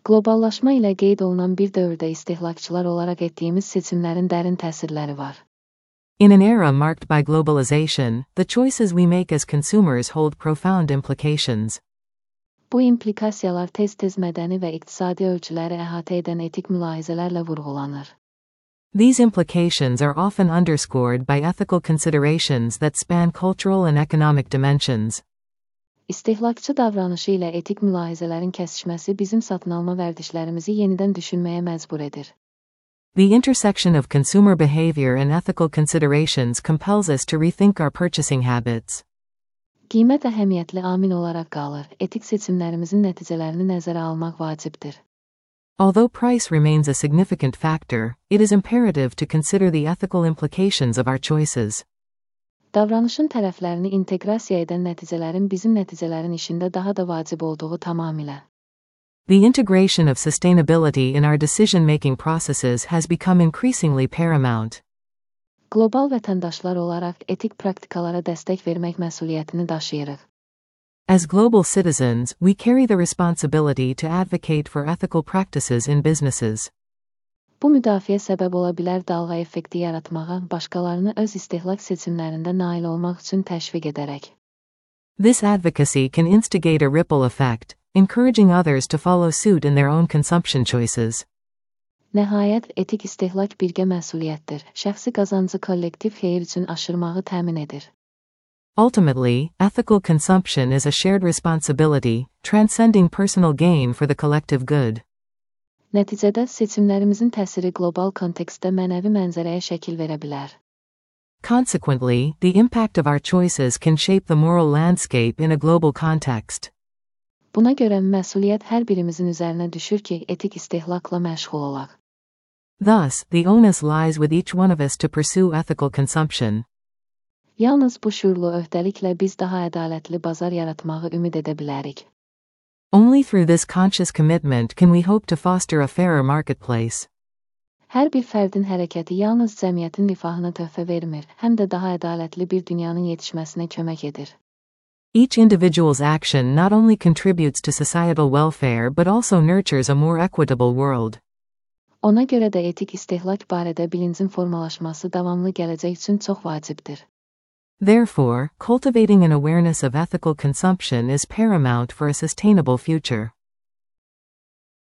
Qloballaşma ilə qeyd olunan bir dövrdə istehlakçılar olaraq etdiyimiz seçimlərin dərin təsirləri var. In an era marked by globalization, the choices we make as consumers hold profound implications. Bu implikasiyalar tez-tez mədəni və iqtisadi ölçüləri əhatə edən etik mülahizələrlə vurğulanır. These implications are often underscored by ethical considerations that span cultural and economic dimensions. İstehlakçı davranışı ilə etik mülahizələrin kəsişməsi bizim satın alma vərdişlərimizi yenidən düşünməyə məcbur edir. The intersection of consumer behavior and ethical considerations compels us to rethink our purchasing habits. Qiymət əhəmiyyətli amil olaraq qalır, etik seçimlərimizin nəticələrini nəzərə almaq vacibdir. Although price remains a significant factor, it is imperative to consider the ethical implications of our choices. Davranışın tərəflərini inteqrasiya edən nəticələrin bizim nəticələrin işində daha da vacib olduğu tamamilə. The integration of sustainability in our decision-making processes has become increasingly paramount. Qlobal vətəndaşlar olaraq etik praktikalara dəstək vermək məsuliyyətini daşıyırıq. As global citizens, we carry the responsibility to advocate for ethical practices in businesses. Bu müdafiə səbəb ola bilər dalğa effekti yaratmağa, başqalarını öz istehlak seçimlərində nail olmaq üçün təşviq edərək. This advocacy can instigate a ripple effect, encouraging others to follow suit in their own consumption choices. Nəhayət, etik istehlak birgə məsuliyyətdir. Şəxsi qazancı kollektiv xeyir üçün aşırmağı təmin edir. Ultimately, ethical consumption is a shared responsibility, transcending personal gain for the collective good. Nəticədə seçimlərimizin təsiri qlobal kontekstdə mənəvi mənzərəyə şəkil verə bilər. Consequently, the impact of our choices can shape the moral landscape in a global context. Buna görə məsuliyyət hər birimizin üzərinə düşür ki, etik istehlakla məşğul olaq. Thus, the onus lies with each one of us to pursue ethical consumption. Yalnız bu şuurlu öhdəliklə biz daha ədalətli bazar yaratmağı ümid edə bilərik. Only through this conscious commitment can we hope to foster a fairer marketplace. Hər bir fərdin hərəkəti yalnız cəmiyyətin rifahına töhfə vermir, həm də daha ədalətli bir dünyanın yetişməsinə kömək edir. Each individual's action not only contributes to societal welfare but also nurtures a more equitable world. Ona görə də etik istehlak barədə bilincin formalaşması davamlı gələcək üçün çox vacibdir. Therefore, cultivating an awareness of ethical consumption is paramount for a sustainable future.